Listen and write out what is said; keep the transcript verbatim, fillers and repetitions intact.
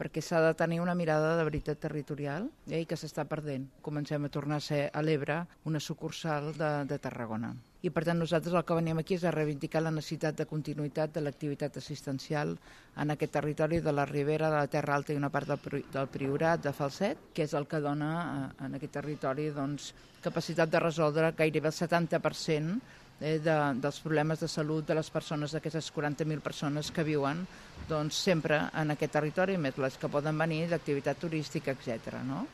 perquè s'ha de tenir una mirada de veritat territorial eh, i que s'està perdent. Comencem a tornar a ser a l'Ebre una sucursal de, de Tarragona. I per tant nosaltres el que venim aquí és a reivindicar la necessitat de continuïtat de l'activitat assistencial en aquest territori de la Ribera, de la Terra Alta i una part del, del Priorat, de Falset, que és el que dona en aquest territori doncs, capacitat de resoldre gairebé el setanta per cent eh, de, dels problemes de salut de les persones, d'aquestes quaranta mil persones que viuen doncs, sempre en aquest territori, més les que poden venir d'activitat turística, etcètera. No?